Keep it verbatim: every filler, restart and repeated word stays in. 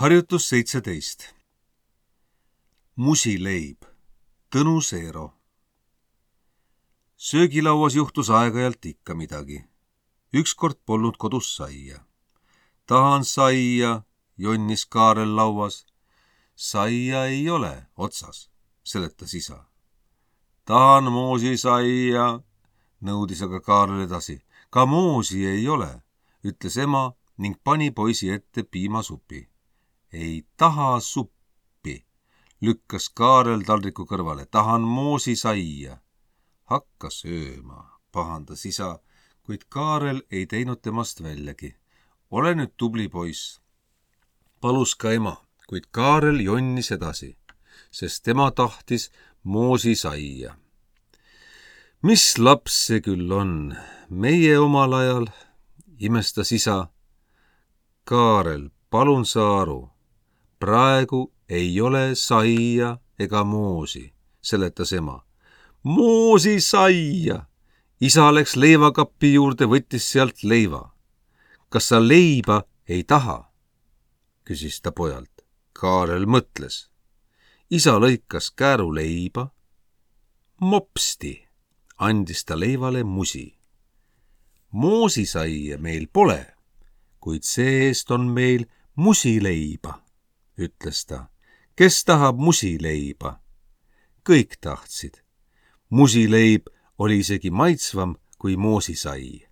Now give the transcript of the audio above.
Harjutus seitseteist. Musileib. Tõnu Seero. Söögilauas juhtus aeg-ajalt ikka midagi. Ükskord polnud kodus saia. Tahan saia, jonnis Kaarel lauas. Saia ei ole otsas, seletas isa. Tahan moosi saia, nõudis aga Kaarel edasi. Ka moosi ei ole, ütles ema ning pani poisi ette piimasupi. Ei taha suppi, lükkas Kaarel taldriku kõrvale. Tahan moosi saia. Hakka sööma, pahandas isa, kuid Kaarel ei teinud temast väljagi. Ole nüüd tubli poiss. Palus ka ema, kuid Kaarel jonnis edasi, sest tema tahtis moosi saia. Mis laps see küll on? Meie omal ajal, imestas isa. Kaarel, palun sa aru. Praegu ei ole saia ega moosi, seletas ema. Moosi saia! Isa läks leivakappi juurde, võttis sealt leiva. Kas sa leiba ei taha? Küsis ta pojalt. Kaarel mõtles. Isa lõikas kääru leiba. Mopsti, andis ta leivale musi. Moosi saia meil pole, kuid see-eest on meil musileiba, ütles ta. Kes tahab musileiba? Kõik tahtsid. Musileib oli isegi maitsvam kui moosisai.